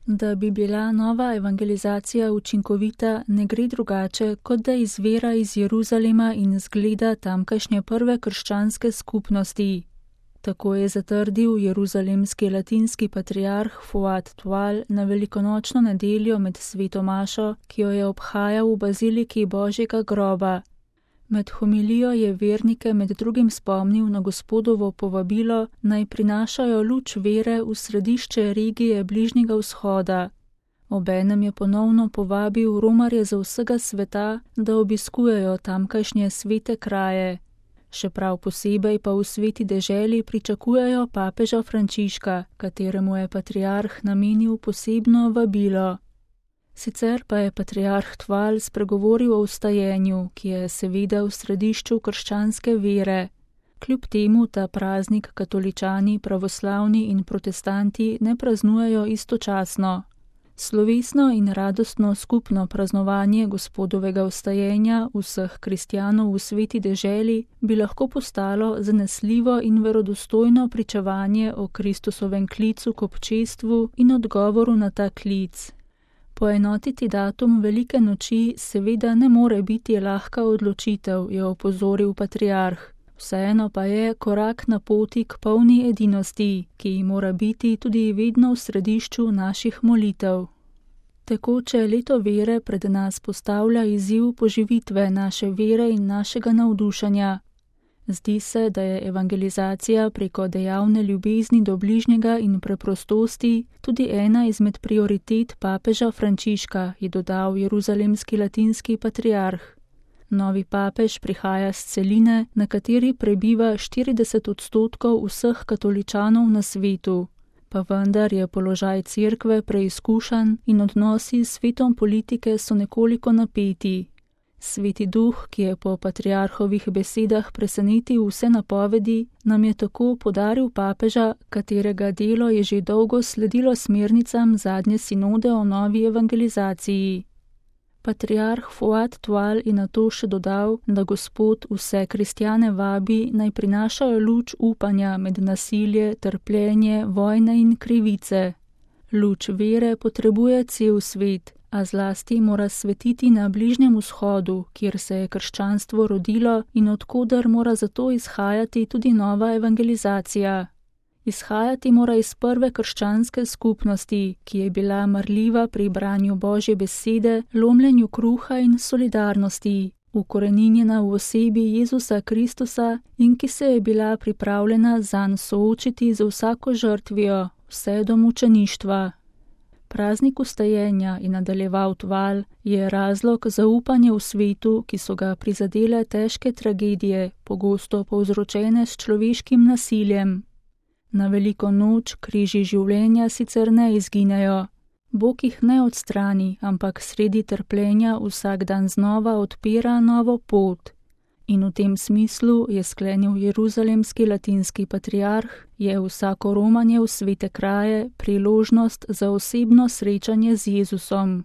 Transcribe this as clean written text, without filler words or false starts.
Da bi bila nova evangelizacija učinkovita, ne gre drugače, kot da izvira iz Jeruzalema in zgleda tamkajšnje prve krščanske skupnosti. Tako je zatrdil jeruzalemski latinski patriarh Fuad Tual na velikonočno nedeljo med sveto mašo, ki jo je obhajal v baziliki Božjega groba. Med homilijo je vernike med drugim spomnil na Gospodovo povabilo, naj prinašajo luč vere v središče regije Bližnjega vzhoda. Obenem je ponovno povabil romarje z vsega sveta, da obiskujejo tamkajšnje svete kraje. Še prav posebej pa v sveti deželi pričakujejo papeža Frančiška, kateremu je patriarh namenil posebno vabilo. Sicer pa je patriarh Tual spregovoril o vstajenju, ki je seveda v središču krščanske vere. Kljub temu ta praznik katoličani, pravoslavni in protestanti ne praznujejo istočasno. Slovesno in radostno skupno praznovanje Gospodovega vstajenja vseh kristjanov v sveti deželi bi lahko postalo zanesljivo in verodostojno pričevanje o Kristusovem klicu k občestvu in odgovoru na ta klic. Poenotiti datum velike noči seveda ne more biti lahka odločitev, je opozoril patriarh. Vseeno pa je korak na poti k polni edinosti, ki mora biti tudi vedno v središču naših molitev. Tekoče leto vere pred nas postavlja izziv poživitve naše vere in našega navdušanja. Zdi se, da je evangelizacija preko dejavne ljubezni do bližnjega in preprostosti tudi ena izmed prioritet papeža Frančiška, je dodal jeruzalemski latinski patriarh. Novi papež prihaja s celine, na kateri prebiva 40% vseh katoličanov na svetu. Pa vendar je položaj cerkve preizkušan in odnosi s svetom politike so nekoliko napeti. Sveti duh, ki je po patriarhovih besedah presenetil vse napovedi, nam je tako podaril papeža, katerega delo je že dolgo sledilo smernicam zadnje sinode o novi evangelizaciji. Patriarh Fuad Tual je nato še dodal, da Gospod vse kristjane vabi, naj prinašajo luč upanja med nasilje, trpljenje, vojne in krivice. Luč vere potrebuje cel svet, a zlasti mora svetiti na Bližnjem vzhodu, kjer se je krščanstvo rodilo in odkoder mora zato izhajati tudi nova evangelizacija. Izhajati mora iz prve krščanske skupnosti, ki je bila marljiva pri branju Božje besede, lomljenju kruha in solidarnosti, ukoreninjena v osebi Jezusa Kristusa in ki se je bila pripravljena zanj soočiti z vsako žrtvijo, vse do mučeništva. Praznik vstajenja, je nadaljeval Tual, je razlog za upanje v svetu, ki so ga prizadele težke tragedije, pogosto povzročene s človeškim nasiljem. Na veliko noč križi življenja sicer ne izginejo. Bog jih ne odstrani, ampak sredi trpljenja vsak dan znova odpira novo pot. In v tem smislu, je sklenil jeruzalemski latinski patriarh, je vsako romanje v svete kraje priložnost za osebno srečanje z Jezusom.